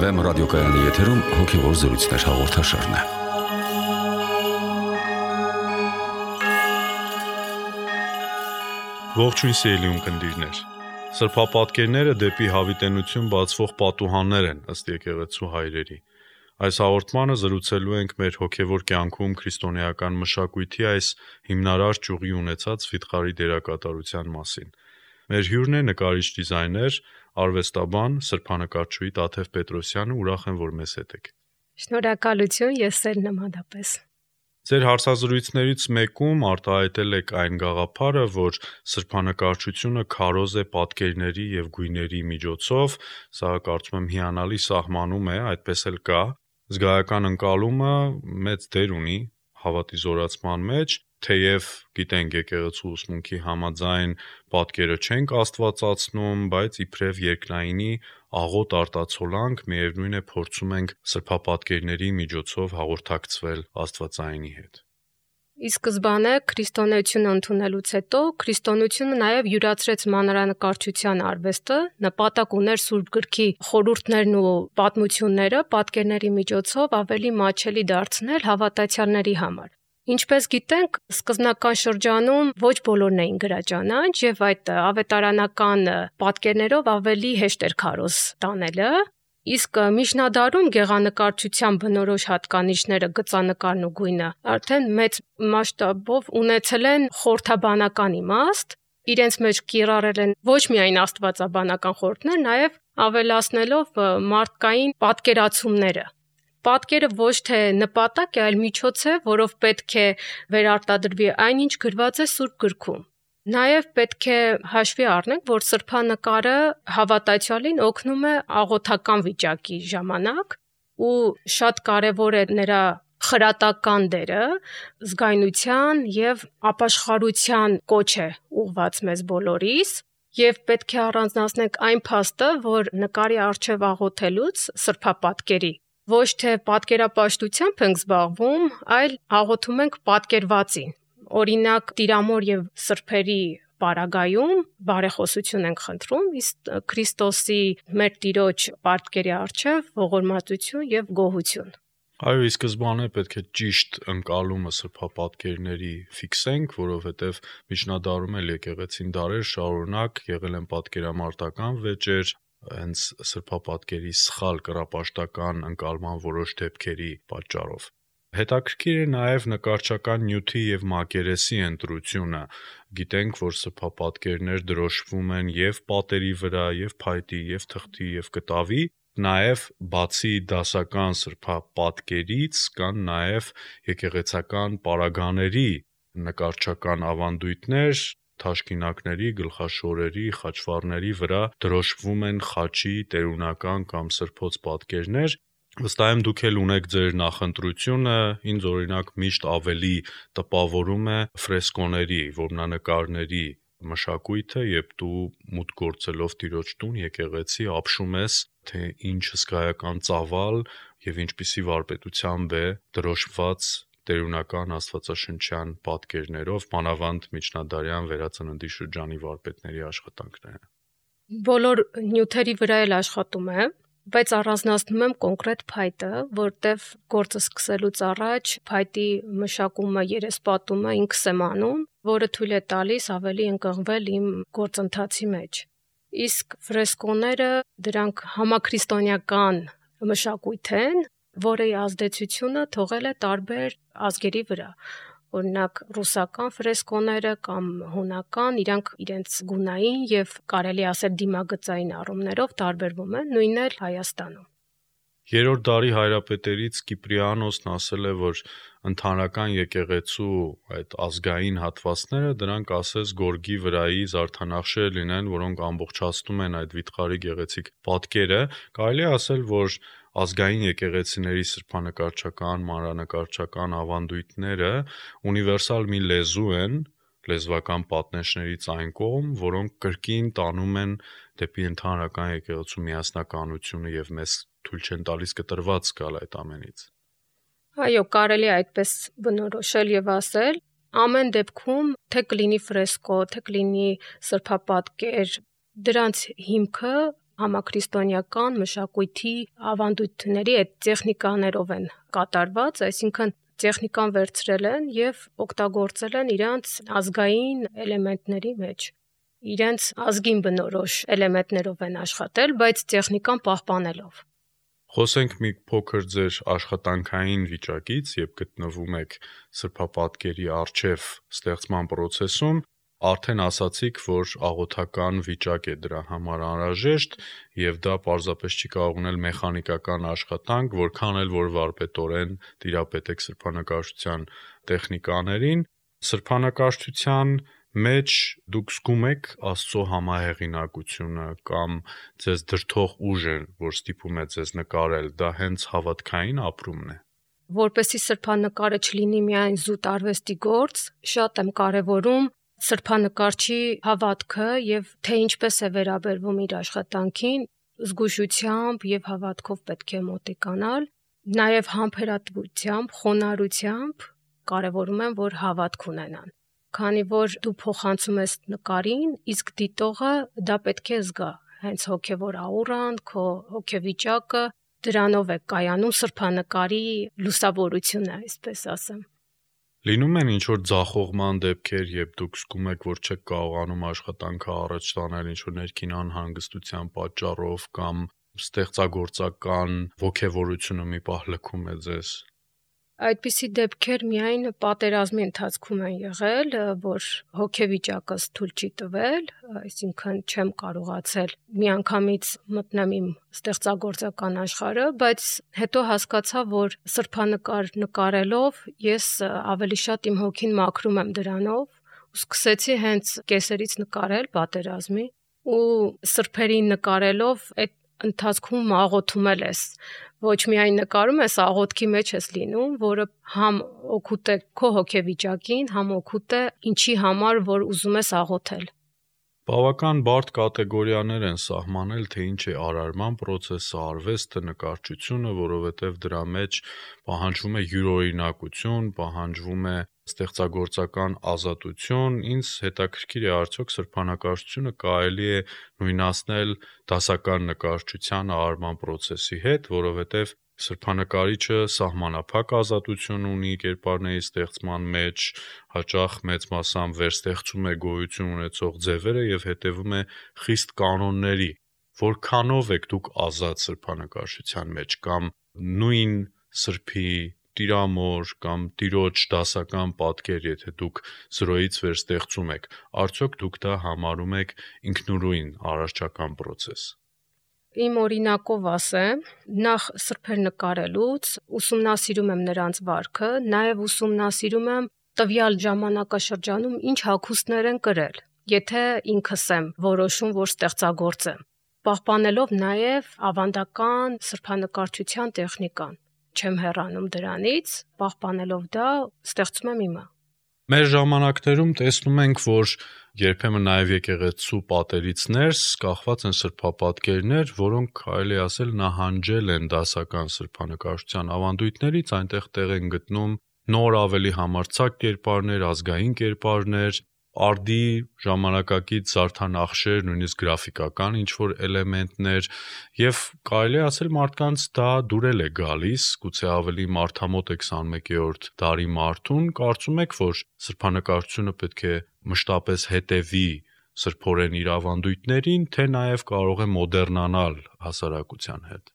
Վեմ ռադիոկայանի եթերում հոգևոր զրույցներ հաղորդաշարն է։ Ողջույն սիրելի ունկնդիրներ։ Սրբապատկերները դեպի հավիտենություն բացվող պատուհաններ են ըստ եկեղեցու հայրերի։ Այս հաղորդմանը զրուցելու ենք մեր հոգևոր կյանքում քրիստոնեական մշակույթի այս հիմնարար ճյուղի ունեցած վիթխարի դերակատարության մասին։ Մեր հյուրն է նկարիչ դիզայներ, արվեստաբան, սրբանկարչուհի Տաթև Պետրոսյանը, ուրախ եմ, որ մեզ հետ եք։ Շնորհակալություն, ես էլ նմանապես։ Ձեր հարցազրույցներից մեկում արտահայտել եք այն գաղափարը, որ սրբանկարչությունը քարոզ է պատկերների եւ գույների միջոցով, սա կարծում եմ հիանալի սահմանում է, այդպես էլ կա։ Զգայական ընկալումը մեծ դեր ունի հավատի զորացման մեջ, թեև գիտենք եկեղեցու ուսմունքի համաձայն պատկերը չենք աստվածացնում, բայց իբրև երկնայինի աղոտ արտացոլանք միևնույն է փորձում ենք սրբապատկերների միջոցով հաղորդակցվել Աստվածայինի հետ։ Ի սկզբանե քրիստոնեությունը ընդունելուց հետո քրիստոնեությունը նաև յուրացրեց մանրանկարչության արվեստը, նպատակ ուներ Սուրբ Գրքի խորհուրդներն ու պատմությունները պատկերների միջոցով ավելի մատչելի դարձնել հավատացյալների համար։ Ինչպես գիտենք, սկզբնական շրջանում ոչ բոլորն էին գրաճանաչ եւ այդ ավետարանական պատկերներով ավելի հեշտ էր քարոզ տանելը, իսկ միջնադարում գեղանկարչության բնորոշ հատկանիշները գծանկարն ու գույնը արդեն մեծ մասշտաբով ունեցել են խորհրդաբանական իմաստ, իրենց մեջ կիրառել են ոչ միայն աստվածաբանական խորհուրդներ, նաեւ ավելացնելով մարդկային պատկերացումները։ Պատկերը ոչ թե նպատակ է, այլ միջոց է, որով պետք է վերարտադրվի այնինչ գրված է Սուրբ Գրքում։ Նաև պետք է հաշվի առնենք, որ սրբանկարը հավատացյալին օգնում է աղոթական վիճակի ժամանակ ու շատ կարևոր է նրա խրատական դերը, զգայունության եւ ապաշխարության կոչ է ուղված մեզ բոլորիս, եւ պետք է առանձնացնենք այն փաստը, որ նկարի առջև աղոթելուց սրբապատկերի ոչ թե պատկերապաշտությամբ ենք զբաղվում, այլ աղոթում ենք պատկերվածին։ Օրինակ, Տիրամոր եւ սրբերի պարագայում բարեխոսություն ենք խնդրում, իսկ Քրիստոսի մեր Տիրոջ պատկերի առջև ողորմածություն եւ գոհություն։ Այո, ի սկզբանե պետք է ճիշտ ընկալումը սրբապատկերների ֆիքսենք, որովհետև միջնադարում էլ եկեղեցին դարեր շարունակ եղել են պատկերամարտական վեճեր, հենց սրբապատկերի սխալ կռապաշտական ընկալման որոշ դեպքերի պատճառով։ Հետաքրքիր է նաև նկարչական նյութի եւ մակերեսի ընտրությունը։ Գիտենք, որ սրբապատկերներ դրոշվում են եւ պատերի վրա, եւ փայտի, եւ թղթի, եւ կտավի, նաև բացի դասական սրբապատկերից կան նաև եկեղեցական պարագաների նկարչական ավանդույթներ, թաշկինակների, գլխաշորերի, խաչվառների վրա դրոշվում են խաչի տերունական կամ սրբոց պատկերներ։ Վստահ եմ դուք էլ ունեք ձեր նախընտրությունը, ինձ օրինակ միշտ ավելի տպավորում է ֆրեսկոների, որմնանկարների մշակույթը, երբ դու մուտք գործելով Տիրոջ տուն, եկեղեցի ապշում ես, թե ինչ հսկայական ծավալ եւ ինչպիսի վարպետությամբ է դրոշված տերունական աստվածաշնչյան պատկերներով, մանավանդ միջնադարյան վերածննդի շրջանի վարպետների աշխատանքները։ Բոլոր նյութերի վրա էլ աշխատում եմ, բայց առանձնացնում եմ կոնկրետ փայտը, որտեվ գործը սկսելուց առաջ փայտի մշակումը, երեսպատումը ինքս եմ անում, որը թույլ է տալիս ավելի ընկղմվել իմ գործընթացի մեջ։ Իսկ ֆրեսկոները դրանք համաքրիստոնեական մշակույթ են, որի ազդեցությունը թողել է տարբեր ազգերի վրա։ Օրինակ ռուսական ֆրեսկոները կամ հունական, իրանք իրենց գունային եւ կարելի ասել դիմագծային առումներով տարբերվում են, նույնն էլ Հայաստանում։ Երրորդ դարի հայրապետերից Կիպրիանոսն ասել է, որ ընդհանրական եկեղեցու այդ ազգային հատվածները դրանք ասես գորգի վրայի զարդանախշեր լինեն, որոնք ամբողջացնում են այդ վիթխարի գեղեցիկ պատկերը։ Կարելի է ասել, որ ազգային եկեղեցիների սրբանկարչական, մանրանկարչական ավանդույթները ունիվերսալ մի լեզու են, լեզվական պատնեշներից այն կողմ, որոնք կրկին տանում են դեպի ընդհանրական եկեղեցու միասնականությունը եւ մեզ թույլ չեն տալիս կտրված գալ այդ ամենից։ Այո, կարելի է այդպես բնորոշել եւ ասել, ամեն դեպքում թե կլինի ֆրեսկո, թե կլինի սրբապատկեր, դրանց հիմքը համաքրիստոնեական մշակույթի ավանդույթների այդ տեխնիկաներով են կատարված, այսինքն տեխնիկան վերցրել են եւ օգտագործել են իրանց ազգային էլեմենտների մեջ։ Իրենց ազգին բնորոշ էլեմենտներով են աշխատել, բայց տեխնիկան պահպանելով։ Խոսենք մի փոքր ձեր աշխատանքային վիճակից, երբ գտնվում եք սրբապատկերի առջև ստեղծման process-ում, արդեն ասացիք, որ աղոթական վիճակ է դրա համար անհրաժեշտ եւ դա պարզապես չի կարող ունել մեխանիկական աշխատանք, որքան էլ որ վարպետորեն տիրապետեք սրբանկարչության տեխնիկաներին, սրբանկարչության մեջ դուք զգում եք Աստծո համահեղինակությունը կամ ձեզ դրդող ուժը, որ ստիպում է ձեզ նկարել, դա հենց հավատքային ապրումն է։ Որպեսզի սրբանկարը չլինի միայն զուտ արվեստի գործ, շատ եմ կարևորում սրբանկարչի հավատքը եւ թե ինչպես է վերաբերվում իր աշխատանքին, զգուշությամբ եւ հավատքով պետք է մոտիկանալ, նաեւ համբերատվությամբ, խոնարհությամբ կարևորում եմ, որ հավատք ունենան։ Քանի որ դու փոխանցում ես նկարին, իսկ դիտողը դա պետք է զգա, հենց հոգեվոր աուրան, քո հոգեվիճակը դրանով է կայանում սրբանկարի լուսավորությունը, այսպես ասեմ։ Լինում են ինչ-որ ձախողման դեպքեր, երբ դուք զգում եք, որ չեք կարողանում աշխատանքը առաջ տանել ինչ-որ ներքին անհանգստության պատճառով կամ ստեղծագործական ոգևորությունը մի պահ լքում է ձեզ։ Այդպիսի դեպքեր միայն պատերազմի ընթացքում են եղել, որ հոգեվիճակս թույլ չի տվել, այսինքն չեմ կարողացել միանգամից մտնեմ իմ ստեղծագործական աշխարհը, բայց հետո հասկացա, որ սրբանկար նկարելով ես ավելի շատ իմ հոգին մաքրում եմ դրանով ու սկսեցի հենց կեսերից նկարել պատերազմի ու սրբերին նկարելով այդ ընթացքում աղոթում ես, ոչ միայն նկարում ես, աղոթքի մեջ ես լինում, որը համ օգուտ է քո հոգեվիճակին, համ օգուտ է ինչի համար, որ ուզում ես աղոթել։ Բավական բարդ կատեգորիաներ են սահմանել, թե ինչ է արարման process-ը, արվեստը, նկարչությունը, որովհետև դրա մեջ պահանջվում է յուրօրինակություն, պահանջվում է ստեղծագործական ազատություն, ինձ հետաքրքիր է արդյոք սրբանկարչությունը կարելի է նույնացնել դասական նկարչության արարման process-ի հետ, որովհետև սրբանկարիչը սահմանափակ ազատություն ունի կերպարների ստեղծման մեջ, հաճախ մեծ մասամբ վերստեղծում է գոյություն ունեցող ձևերը եւ հետեւում է խիստ կանոնների։ Որքանով եք դուք ազատ սրբանկարչության մեջ կամ նույն սրբի տիրամոր կամ տիրոջ դասական պատկեր, եթե դուք 0-ից վեր ստեղծում եք, արդյոք դուք դա համարում եք ինքնուրույն արարչական process։ Իմ օրինակով ասեմ, նախ սրբեր նկարելուց ուսումնասիրում եմ նրանց վարքը, նաև ուսումնասիրում եմ տվյալ ժամանակաշրջանում ինչ հագուստներ են կրել, եթե ինքս եմ որոշում, որ ստեղծագործեմ, պահպանելով նաև ավանդական սրբանկարչության տեխնիկան, չեմ հեռանում դրանից, պահպանելով դա ստեղծում եմ իմը։ Մեր ժամանակներում տեսնում ենք, որ երբեմն նաև եկեղեցու պատերից ներս կախված են սրբապատկերներ, որոնք կարելի ասել նահանջել են դասական սրբանկարչության ավանդույթներից, այնտեղ տեղ են գտնում նոր ավելի համարձակ կերպարներ, ազգային կերպարներ, արդի ժամանակակից զարդանախշեր, նույնիսկ գրաֆիկական ինչ-որ էլեմենտներ եւ կարելի ասել մարդկանց դա դուրել է գալիս, գուցե ավելի մարդամոտ է 21-րդ դարի մարդուն, կարծում եք, որ սրբանկարչությունը պետք է մշտապես հետևի սրբորեն իր ավանդույթներին, թե նաեւ կարող է մոդեռնանալ հասարակության հետ։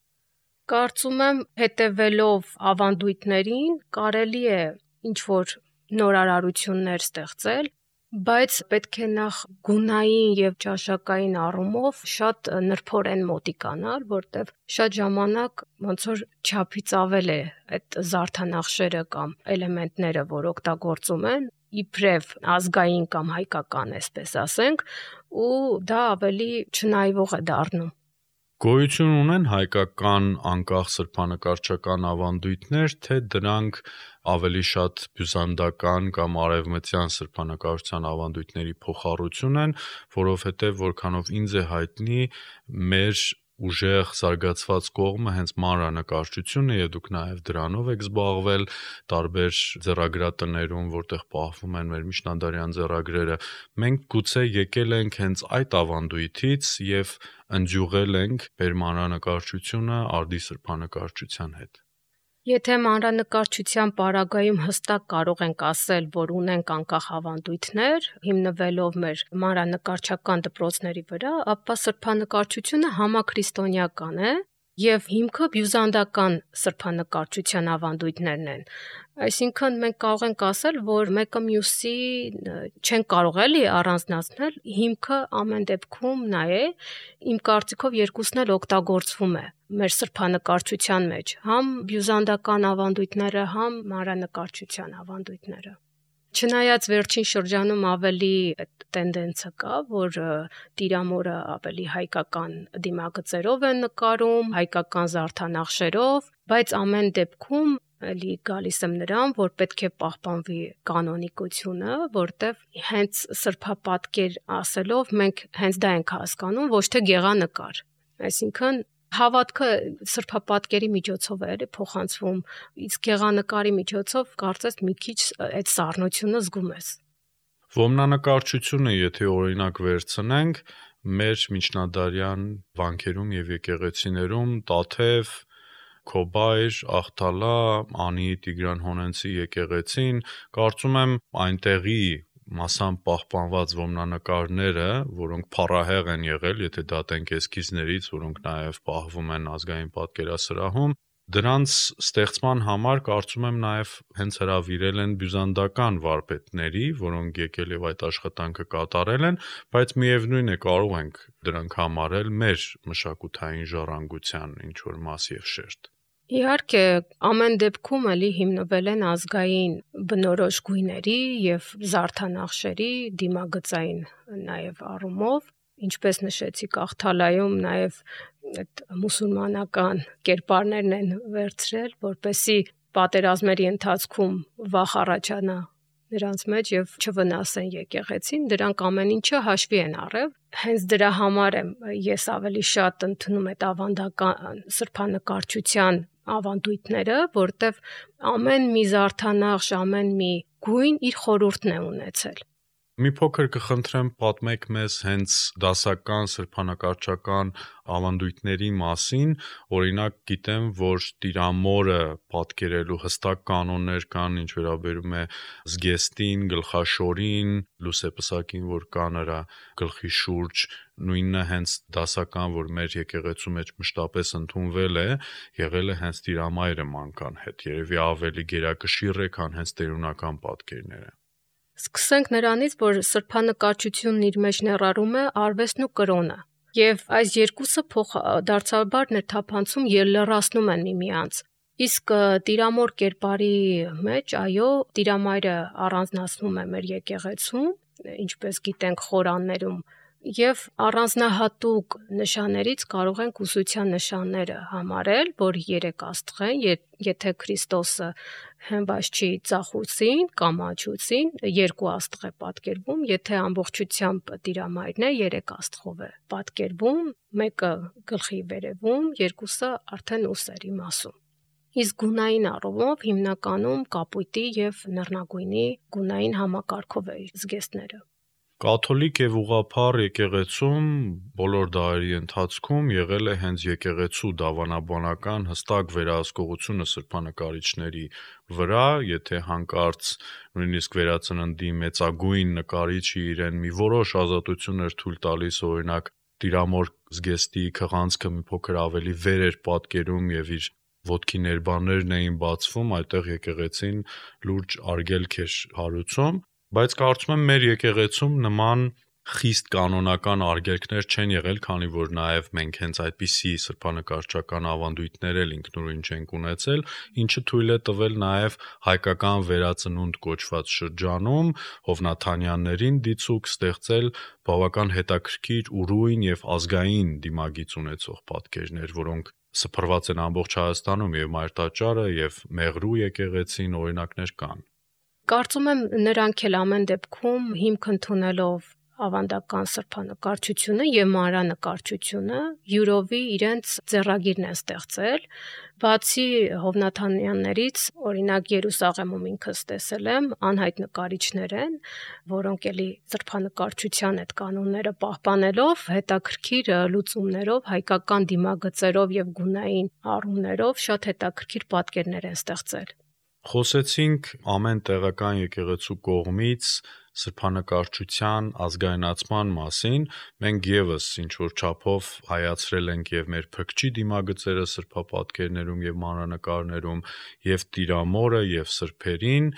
Կարծում եմ, հետևելով ավանդույթներին կարելի է ինչ-որ նորարարություններ ստեղծել, բայց պետք է նախ գունային եւ ճաշակային առումով շատ նրբորեն մոտիկանալ, որտեվ շատ ժամանակ ոնց որ չափից ավել է այդ զարդանախշերը կամ էլեմենտները, որ օգտագործում են, իբրև ազգային կամ հայկական, այսպես ասենք, ու դա ավելի չնայվող է դառնում։ Գոյություն ունեն հայկական անկախ սրբանկարչական ավանդույթներ, թե դրանք ավելի շատ բյուզանդական կամ արևմտյան սրբանկարչության ավանդույթների փոխառություն են, որովհետև որքանով ինձ է հայտնի, մեր ուժեղ զարգացված կողմը հենց մանրանկարչությունն է, եւ դուք նաեւ դրանով եք զբաղվել տարբեր ձեռագրատներում, որտեղ պահվում են մեր միջնադարյան ձեռագրերը։ Մենք գուցե եկել ենք հենց այդ ավանդույթից եւ ընձյուղել ենք մեր մանրանկարչությունը արդի սրբանկարչության հետ։ Եթե մանրանկարչության պարագայում հստակ կարող ենք ասել, որ ունենք անկախ ավանդույթներ, հիմնվելով մեր մանրանկարչական դպրոցների վրա, ապա սրբանկարչությունը համաքրիստոնեական է եւ հիմքը բյուզանդական սրբանկարչության ավանդույթներն են։ Այսինքն մենք կարող ենք ասել, որ մեկը մյուսի չեն կարող էլի առանձնացնել, հիմքը ամեն դեպքում նա է, իմ կարծիքով երկուսն էլ օգտագործվում է մեր սրբանկարչության մեջ, համ բյուզանդական ավանդույթները, համ մանրանկարչության ավանդույթները։ Չնայած վերջին շրջանում ավելի տենդենսը կա, որ տիրամորը ավելի հայկական դիմագծերով են նկարում, հայկական զարդանախշերով, բայց ամեն դեպքում էլի գալիս եմ նրան, որ պետք է պահպանվի կանոնիկությունը, որտեվ հենց սրբապատկեր ասելով մենք հենց դա ենք հասկանում, ոչ թե գեղանկար։ Այսինքն հավատքը սրբապատկերի միջոցով է փոխանցվում, իսկ գեղանկարի միջոցով կարծես մի քիչ այդ սառնությունը զգում ես։ Ոմնանկարչությունը, եթե օրինակ վերցնենք, մեր միջնադարյան վանքերում եւ եկեղեցիներում Տաթև, Քոբայր, Աղթալա, Անի Տիգրան Հոնենցի եկեղեցին, կարծում եմ այնտեղի մասամբ պահպանված ոմնանկարները, որոնք փառահեղ են եղել, եթե դատենք էսքիզներից, որոնք նաև պահվում են ազգային պատկերասրահում, դրանց ստեղծման համար կարծում եմ նաև հենց հրավիրել են բյուզանդական վարպետների, որոնք եկել եւ այդ աշխատանքը կատարել են, բայց միևնույն է կարող ենք դրանք համարել մեր մշակութային ժառանգության ինչ որ մաս եւ շերտ։ Իհարկե, ամեն դեպքում էլի հիմնվել են ազգային բնորոշ գույների եւ զարդանախշերի դիմագծային նաեւ առումով, ինչպես նշեցիք, Աղթալայում նաեւ այդ մուսուլմանական կերպարներն են վերցրել, որպեսզի պատերազմների ընթացքում վախ առաջանա նրանց մեջ եւ չվնասեն եկեղեցին, դրանք ամեն ինչը հաշվի են առել։ Հենց դրա համար եմ ես ավելի շատ ընդունում այդ ավանդական սրբանկարչության ավանդույթները, որտեվ ամեն մի զարդանախշ, ամեն մի գույն իր խորհուրդն է ունեցել։ Մի փոքր կխնդրեմ պատմեք մեզ հենց դասական սրբանկարչական ավանդույթների մասին, օրինակ գիտեմ, որ տիրամորը պատկերելու հստակ կանոններ կան, ինչ վերաբերում է զգեստին, գլխաշորին, լուսեպսակին, որ կա նրա գլխի շուրջ, նույնը հենց դասական, որ մեր եկեղեցու մեջ մշտապես ընդունվել է, եղել է հենց տիրամայրը մանկան հետ, երևի ավելի գերակշիռ է, քան հենց տերունական պատկերները։ Սկսենք նրանից, որ սրբանկարչությունն իր մեջ ներառում է արվեստն ու կրոնը, եւ այս երկուսը դարձաբար ներթափանցում ելլռացնում են միմյանց։ Իսկ տիրամոր կերպարի մեջ, այո, տիրամայրը առանձնացնում է մեր եկեղեցում, ինչպես գիտենք խորաններում, եւ առանձնահատուկ նշաններից կարող ենք ուսության նշանները համարել, որ 3 աստղ են, եթե Քրիստոսը հենված չի ծախուցին կամ աչուցին, 2 աստղ է պատկերվում, եթե ամբողջությամբ տիրամայրն է, 3 աստղով է պատկերվում, մեկը գլխի վերևում, 2-ը արդեն ուսերի մասում։ Իսկ գունային առումով հիմնականում կապույտի եւ նռնագույնի գունային համակարգով է զգեստները։ Կաթոլիկ եւ ուղղափառ եկեղեցում բոլոր դարերի ընթացքում եղել է հենց եկեղեցու դավանաբանական հստակ վերահսկողությունը սրբանկարիչների վրա, եթե հանկարծ նույնիսկ վերածննդի մեծագույն նկարիչը իրեն մի որոշ ազատություններ թույլ տալիս, օրինակ տիրամոր զգեստի քղանցքը մի փոքր ավելի վեր էր պատկերում եւ իր ոտքի ներբաններն էին բացվում, այդտեղ եկեղեցին լուրջ արգելք էր հարուցում, բայց կարծում եմ մեր եկեղեցում նման խիստ կանոնական արգելքներ չեն եղել, քանի որ նաև մենք հենց այդպիսի սրբանկարչական ավանդույթներ էլ ինքնուրույն չենք ունեցել, ինչը թույլ է տվել նաև հայկական վերածնունդ կոչված շրջանում Հովնաթանյաններին դիցուք ստեղծել բավական հետաքրքիր ուրույն եւ ազգային դիմագիծ ունեցող պատկերներ, որոնք սփռված են ամբողջ Հայաստանում եւ Մայրտաճարը եւ Մեղրու եկեղեցին օրինակներ կան։ Կարծում եմ նրանք էլ ամեն դեպքում հիմք ընդունելով ավանդական սրբանկարչությունը եւ մանրանկարչությունը յուրովի իրենց ձեռագիրն են ստեղծել, բացի Հովնաթանյաններից, օրինակ Երուսաղեմում ինքս տեսել եմ, անհայտ նկարիչներ են, որոնք էլի սրբանկարչության այդ կանոնները պահպանելով, հետաքրքիր լուծումներով, հայկական դիմագծերով եւ գունային առումներով շատ հետաքրքիր պատկերներ են ստեղծել։ Խոսեցինք ամեն տեղական եկեղեցու կողմից սրբանկարչության ազգայնացման մասին, մենք եւս ինչ որ չափով հայացրել ենք եւ մեր փքչի դիմագծերը սրբապատկերներում եւ մանրանկարներում եւ Տիրամորը եւ սրբերին,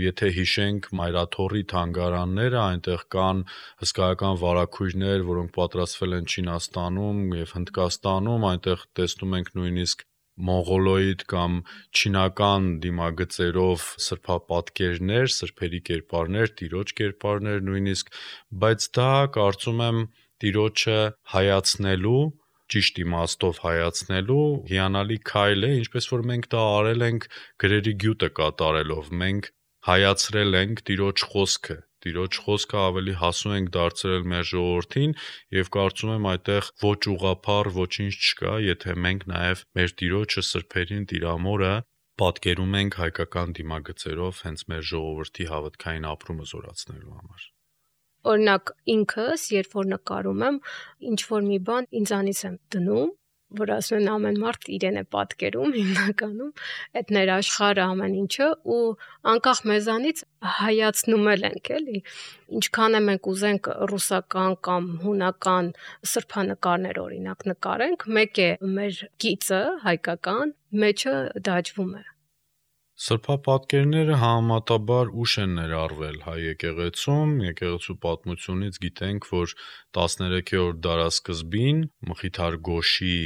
եթե հիշենք Մայրաթոռի թանգարանները, այնտեղ կան հսկայական վարագույրներ, որոնք պատրաստվել են Չինաստանում եւ Հնդկաստանում, այնտեղ տեսնում ենք նույնիսկ մոնղոլոիդ կամ չինական դիմագծերով սրբապատկերներ, սրբերի կերպարներ, տիրոջ կերպարներ նույնիսկ, բայց դա կարծում եմ տիրոջը հայացնելու, ճիշտ իմաստով հայացնելու հիանալի քայլ է, ինչպես որ մենք դա արել ենք գրերի գյուտը կատարելով, մենք հայացրել ենք Տիրոջ խոսքը ավելի հասու ենք դարձրել մեր ժողովրդին եւ կարծում եմ այդտեղ ոչ ուղղափառ ոչինչ չկա, եթե մենք նաեւ մեր Տիրոջը սրբերին Տիրամորը պատկերում ենք հայկական դիմագծերով հենց մեր ժողովրդի հավատքային ապրումը զորացնելու համար։ Օրինակ ինքս, երբ որ նկարում եմ, ինչ որ մի բան ինձանից եմ դնում, որ ասում են ամեն մարդ իրեն է պատկերում հիմնականում, այդ ներաշխարհը ամեն ինչը ու անկախ մեզանից հայացնում ենք, էլի, ինչքան է մենք ուզենք ռուսական կամ հունական սրբանկարներ օրինակ նկարենք, մեկ է մեր գիծը հայկական մեջը դաջվում է։ Սրբապատկերները համեմատաբար ուշ են ներառվել հայ եկեղեցում, եկեղեցու պատմությունից գիտենք, որ 13-րդ դարասկզբին Մխիթար Գոշի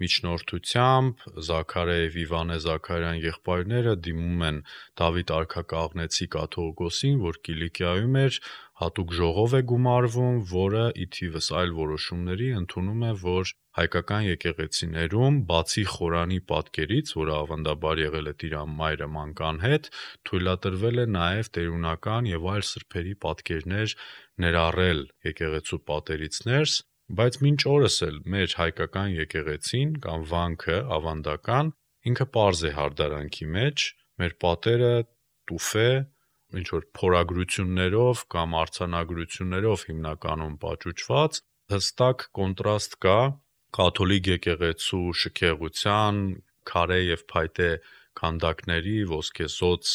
միջնորդությամբ Զաքարիա եւ Իվանե Զաքարյան եղբայրները դիմում են Դավիթ արքակաղնեցի կաթողիկոսին, որ Կիլիկիայում էր, հատուկ ժողով է գումարվում, որը ի թիվս այլ որոշումների ընդունում է, որ հայկական եկեղեցիներում բացի խորանի պատկերից, որը ավանդաբար եղել է Տիրամայրը մանկան հետ, թույլատրվել է նաև տերունական եւ այլ սրբերի պատկերներ ներառել եկեղեցու պատերից ներս, բայց մինչ օրս էլ մեր հայկական եկեղեցին կամ վանքը ավանդական ինքը պարզ է հարդարանքի մեջ, մեր պատերը տուֆ է, ինչ որ փորագրություններով կամ արձանագրություններով հիմնականում պատճուճված, հստակ կոնտրաստ կա կաթոլիկ եկեղեցու շքեղության, քարե եւ փայտե քանդակների, ոսկեզոծ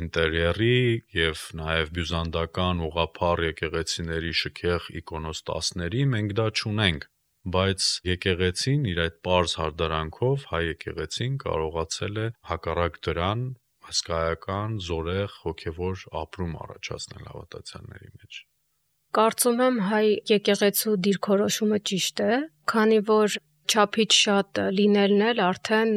ինտերիերի եւ նաեւ բյուզանդական ուղղափառ եկեղեցիների շքեղ իկոնոստասների մենք դա չունենք, բայց եկեղեցին իր այդ պարզ հարդարանքով հայ եկեղեցին կարողացել է հակառակ դրան հսկայական, զորեղ, հոգևոր ապրում առաջացնել հավատացյալների մեջ։ Կարծում եմ հայ եկեղեցու դիրքորոշումը ճիշտ է, քանի որ չափից շատ լինելն էլ արդեն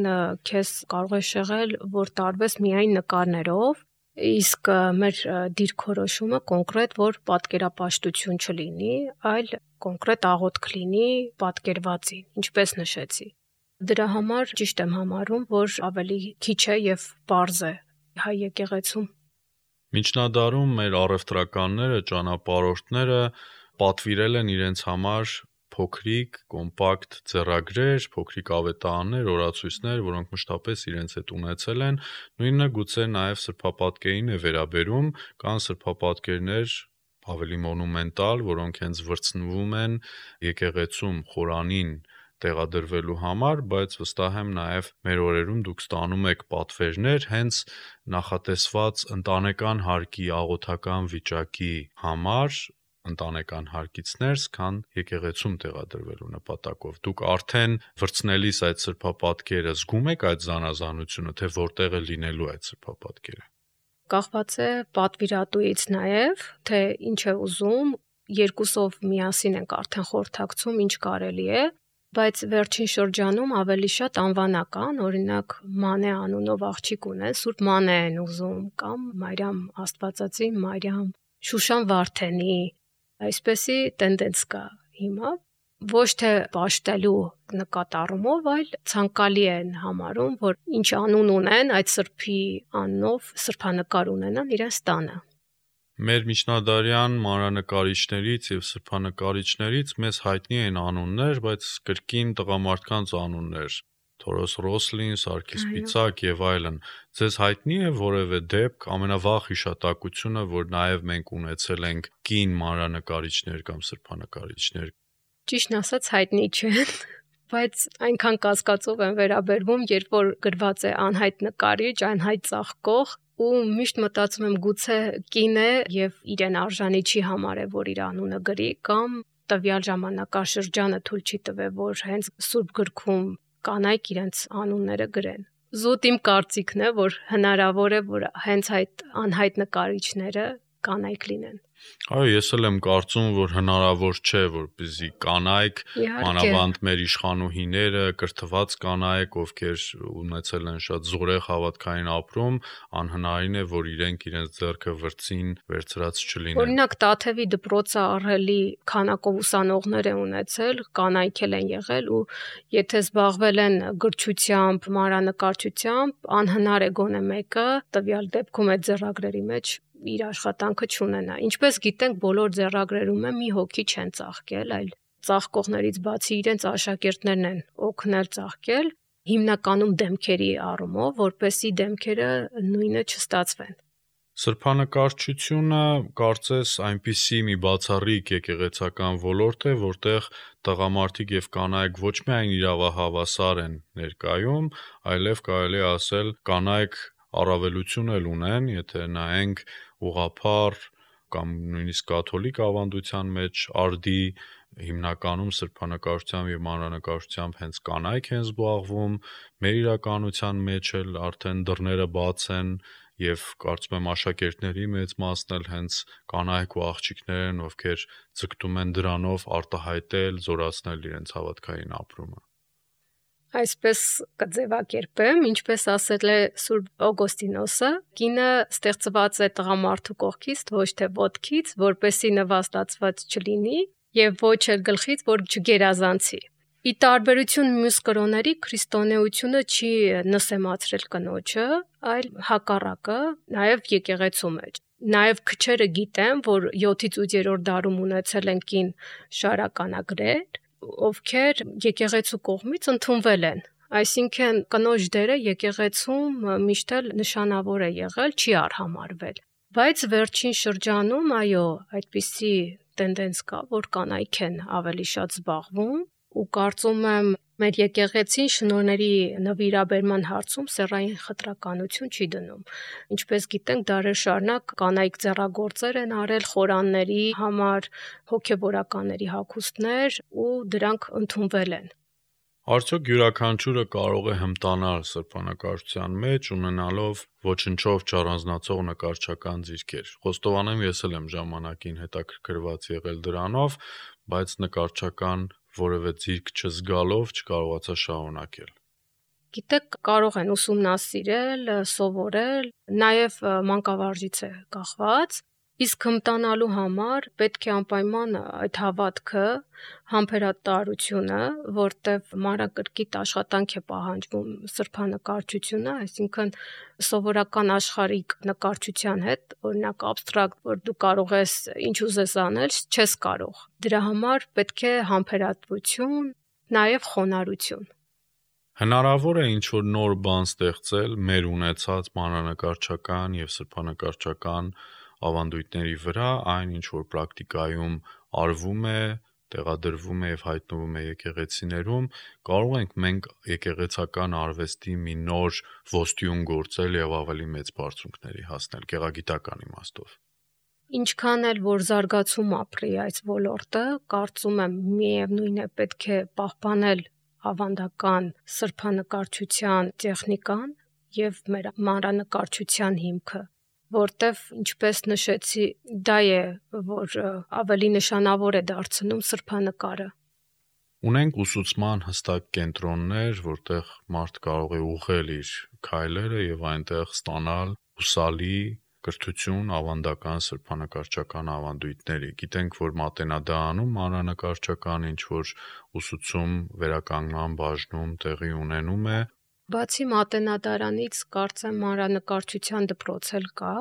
քեզ կարող է շեղել, որ տարվես միայն նկարներով, իսկ մեր դիրքորոշումը կոնկրետ, որ պատկերապաշտություն չլինի, այլ կոնկրետ աղոթք լինի պատկերվածին, ինչպես նշեցի։ Դրա համար ճիշտ եմ համարում, որ ավելի քիչ է եւ պարզ է հայ եկեղեցում։ Միջնադարում մեր առևտրականները, ճանապարհորդները պատվիրել են իրենց համար փոքրիկ, կոմպակտ ձեռագրեր, փոքրիկ ավետարաններ, օրացույցներ, որոնք մշտապես իրենց հետ ունեցել են, նույնը գուցե նաև սրբապատկերին է վերաբերում, կան սրբապատկերներ ավելի մոնումենտալ, որոնք հենց վրձնվում են եկեղեցում խորանին տեղադրվելու համար, բայց վստահ եմ նաև մեր օրերում դուք ստանում եք պատվերներ հենց նախատեսված ընտանեկան հարկի աղոթական վիճակի համար, ընտանեկան հարկից ներս, քան եկեղեցում տեղադրվելու նպատակով։ Դուք արդեն վրձնելիս այդ սրբապատկերը զգում եք այդ զանազանությունը, թե որտեղ է լինելու այդ սրբապատկերը։ Կախված է պատվիրատուից նաև, թե ինչ է ուզում, երկուսով միասին ենք արդեն խորհրդակցում, ինչ կարելի է, բայց վերջին շրջանում ավելի շատ անվանական, օրինակ Մանե անունով աղջիկ ունեն, Սուրբ Մանե են ուզում, կամ Մարիամ Աստվածածին, Մարիամ Շուշան Վարդենի, այսպեսի տենդենց կա հիմա, ոչ թե պաշտելու նկատառումով, այլ ցանկալի են համարում, որ ինչ անուն ունեն այդ սրբի անունով սրբանկար ունենան իրենց տանը։ Մեր միջնադարյան մանրանկարիչներից եւ սրբանկարիչներից մեզ հայտնի են անուններ, բայց կրկին տղամարդկանց անուններ. Թորոս Ռոսլին, Սարգիս Պիցակ եւ այլն։ Ձեզ հայտնի է որևէ դեպք, ամենավաղ հիշատակությունը, որ նաեւ մենք ունեցել ենք կին մանրանկարիչներ կամ սրբանկարիչներ։ Ճիշտն ասած հայտնի չէ, բայց այնքան կասկածով եմ վերաբերվում, երբ որ գրված է անհայտ նկարիչ, անհայտ ծաղկող, ու միշտ մտածում եմ գուցե կին է եւ իրեն արժանի չի համարել, որ իր անունը գրի, կամ տվյալ ժամանակաշրջանը թույլ չի տվել, որ հենց Սուրբ գրքում կանայք իրենց անունները գրեն։ Զուտ իմ կարծիքն է, որ հնարավոր է, որ հենց այդ անհայտ նկարիչները կանայք լինեն։ Այո, ես էլ եմ կարծում, որ հնարավոր չէ, որպեսզի կանայք, մանավանդ մեր իշխանուհիները, կրթված կանայք, ովքեր ունեցել են շատ զորեղ հավատքային ապրում, անհնարին է, որ իրենք իրենց ձեռքը վրձին վերցրած չլինեն։ Օրինակ Տաթևի դպրոցը ահռելի քանակով ուսանողներ է ունեցել, կանայք էլ են եղել, ու եթե զբաղվել են գրչությամբ, մանրանկարչությամբ, անհնար է գոնե մեկը տվյալ դեպքում այդ ձեռագրերի մեջ իր աշխատանքը չունենա։ Ինչպես գիտենք, բոլոր ձեռագրերում է մի հոգի չեն ծաղկել, այլ ծաղկողներից բացի իրենց աշակերտներն են օգնել ծաղկել, հիմնականում դեմքերի առումով, որպեսզի դեմքերը նույնը չստացվեն։ Սրբանկարչությունը կարծես այնպիսի մի բացառիկ եկեղեցական ոլորտ է, որտեղ տղամարդիկ եւ կանայք ոչ միայն իրավահավասար են ներկայում, այլև կարելի է ասել կանայք առավելություն էլ ունեն, եթե նայենք ուղղափառ կամ նույնիսկ կաթոլիկ ավանդության մեջ արդի հիմնականում սրբանկարչությամբ եւ մանրանկարչությամբ հենց կանայք են զբաղվում, մեր իրականության մեջ էլ արդեն դռները բաց են եւ կարծում եմ աշակերտների մեծ մասն էլ հենց կանայք ու աղջիկներ են, ովքեր ձգտում են դրանով արտահայտել, զորացնել իրենց հավատքային ապրումը։ Այսպես կձևակերպեմ, ինչպես ասել է Սուրբ Օգոստինոսը, կինը ստեղծված է տղամարդու կողքից, ոչ թե ոտքից, որպեսի նվաստացված չլինի եւ ոչ էլ գլխից, որ չգերազանցի։ Ի տարբերություն մյուս կրոնների, քրիստոնեությունը չի նսեմացրել կնոջը, այլ հակառակը, նաեւ եկեղեցու մեջ։ Նաեւ քչերը գիտեն, որ 7-ից 8-րդ դարում ունեցել են կին շարականագրեր, ովքեր եկեղեցու կողմից ընդունվել են։ Այսինքն կնոջ դերը եկեղեցում միշտ էլ նշանավոր է եղել, չի արհամարվել։ Բայց վերջին շրջանում, այո, այդպիսի տենդենց կա, որ կանայք են ավելի շատ զբաղվում, ու կարծում եմ մեր եկեղեցին շնորհների նվիրաբերման հարցում սեռային խտրականություն չի դնում։ Ինչպես գիտենք, դարեր շարունակ կանայք ձեռագործեր են արել խորանների համար, հոգևորականների հագուստներ, ու դրանք ընդունվել են։ Արդյոք յուրաքանչյուրը կարող է հմտանալ սրբանկարչության մեջ, ունենալով ոչնչով չառանձնացող նկարչական ձիրքեր։ Խոստովանեմ, ես էլ եմ ժամանակին հետաքրքրված եղել դրանով, բայց նկարչական որևէ ձիրք չզգալով չկարողացա շարունակել։ Գիտեք, կարող են ուսումնասիրել, սովորել, նաև մանկավարժից է կախված, իսկ հմտանալու համար պետք է անպայման այդ հավատքը, համբերատարությունը, որտեղ մանրակրկիտ աշխատանք է պահանջվում սրբանկարչությունը, այսինքն սովորական աշխարհիկ նկարչության հետ, օրինակ абստրակտ, որ դու կարող ես ինչ ուզես անել, չես կարող։ Դրա համար պետք է համբերատվություն, նաև խոնարհություն։ Հնարավոր է ինչ-որ նոր բան ստեղծել մեր ունեցած մանրանկարչական եւ սրբանկարչական ավանդույթների վրա, այն ինչ որ պրակտիկայում արվում է, տեղադրվում է եւ հայտնվում է եկեղեցիներում, կարող ենք մենք եկեղեցական արվեստի մի նոր ոստյուն գործել եւ ավելի մեծ բարձունքների հասնել գեղագիտական իմաստով։ Ինչքան էլ որ զարգացում ապրի այս ոլորտը, կարծում եմ միևնույն է պետք է պահպանել ավանդական սրբանկարչության տեխնիկան եւ մեր մանրանկարչության հիմքը, որտեվ ինչպես նշեցի, դա է, որ ավելի նշանավոր է դարձնում սրբանկարը։ Ունենք ուսուցման հստակ կենտրոններ, որտեղ մարդ կարող է ուղղել իր քայլերը եւ այնտեղ ստանալ ուսալի կրթություն ավանդական սրբանկարչական ավանդույթների։ Գիտենք, որ Մատենադարանում մանրանկարչական ինչ որ ուսուցում վերականգնման բաժնում տեղի ունենում է։ Բացի Մատենադարանից, կարծեմ մանրանկարչության դպրոց էլ կա,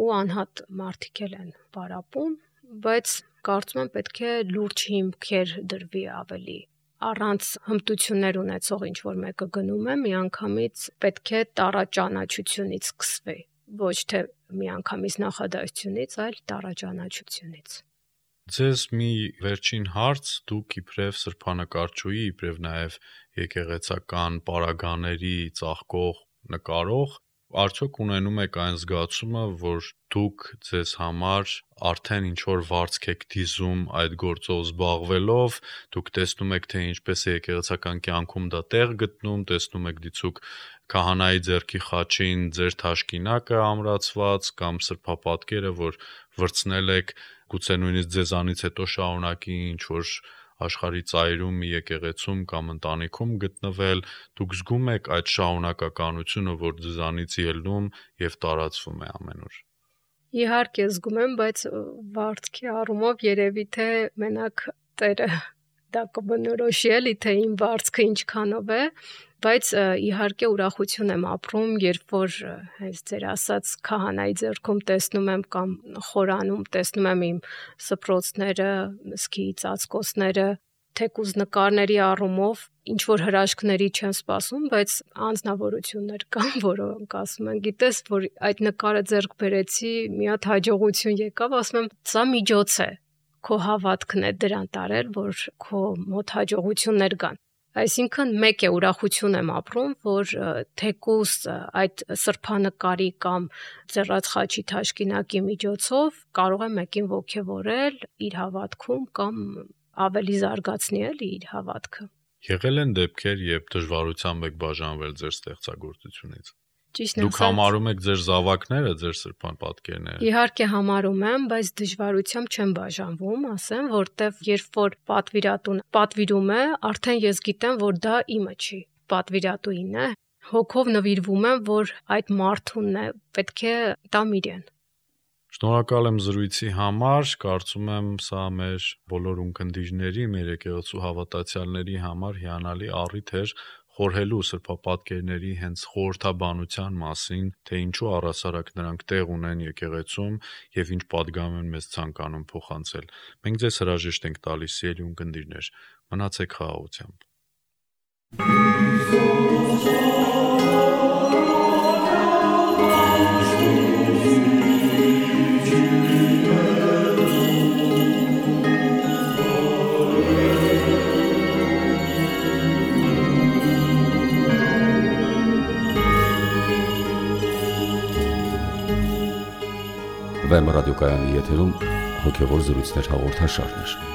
ու անհատ մարդիկ են պարապում, բայց կարծում եմ պետք է լուրջ հիմքեր դրվի ավելի առանց հմտություններ ունեցող ինչ որ մեկը գնում է, միանգամից պետք է տարաճանաչությունից սկսվի, ոչ թե միանգամից նախադասությունից, այլ տարաճանաչությունից։ Ձեզ մի վերջին հարց, դուք իբրև սրբանկարչուհի, իբրև նաև եկեղեցական պարագաների ծաղկող նկարող, արդյոք ունենում եք այն զգացումը, որ դուք ձեզ համար արդեն ինչ որ վարձք եք դիզում այդ գործով զբաղվելով, դուք տեսնում եք, թե ինչպես է եկեղեցական կյանքում դա տեղ գտնում, տեսնում եք դիցուք քահանայի ձեռքի խաչին ձեր թաշկինակը ամրացված կամ սրբապատկերը, որ վրցնել եք, գուցե նույնիսկ ձեզանից հետո շարունակի ինչ որ աշխարհի ծայրում մի եկեղեցում կամ ընտանիքում գտնվել, դուք զգում եք այդ շարունակականությունը, որ ձեզանից ելնում եւ տարածվում է ամենուր։ Իհարկե զգում եմ, բայց վարձքի առումով երևի թե մենակ Տերը դա կբնորոշի էլի, թե իմ վարձքը ինչքանով է, բայց իհարկե ուրախություն եմ ապրում, երբ որ հենց ձեր ասած քահանայի ձեռքում տեսնում եմ կամ խորանում տեսնում եմ իմ սփռոցները, մսկի ծածկոցները, թեկուզ նկարների առումով ինչ որ հրաշքների չեմ սպասում, բայց անձնավորություններ կան, որոնք ասում են, գիտես, որ այդ նկարը ձեռք բերեցի, մի հատ հաջողություն եկավ, ասում եմ, սա միջոց է, քո հավատքն է դրան տարել, որ քո մոտ հաջողություններ կան։ Այսինքն մեկ է ուրախություն եմ ապրում, որ թեկուզ այդ սրբանկարի կամ ձեռած խաչի թաշկինակի միջոցով կարող եմ մեկին ոգևորել իր հավատքում կամ ավելի զարգացնի էլի իր հավատքը։ Եղել են դեպքեր, երբ դժվարությամբ եք բաժանվել ձեր ստեղծագործությունից։ Ճիշտ Դուք համարում եք ձեր զավակները, ձեր սրբան պատկերները։ Իհարկե համարում եմ, բայց դժվարությամբ չեմ բաժանվում, ասեմ, որտեվ երբ որ պատվիրատուն պատվիրում է, արդեն ես գիտեմ, որ դա իմը չի, պատվիրատուին է, հոգով նվիրվում եմ, որ այդ մարդունն է, պետք է տամ իրեն։ Շնորհակալ եմ զրույցի համար, կարծում եմ սա մեր բոլոր ունկնդիրների, մեր եկեղեցու հավատացյալների համար հիանալի առիթ էր խորհելու սրբապատկերների հենց խորհրդաբանության մասին, թե ինչու առասարակ նրանք տեղ ունեն եկեղեցում եւ ինչ պատգամ են մեզ ցանկանում փոխանցել։ Մենք ձեզ հրաժեշտ ենք տալիս, սիրելի ունկնդիրներ, մնացեք խաղաղությամբ։ Վեմ ռադիոկայանի եթերում հոգևոր զրույցներ հաղորդաշարներ։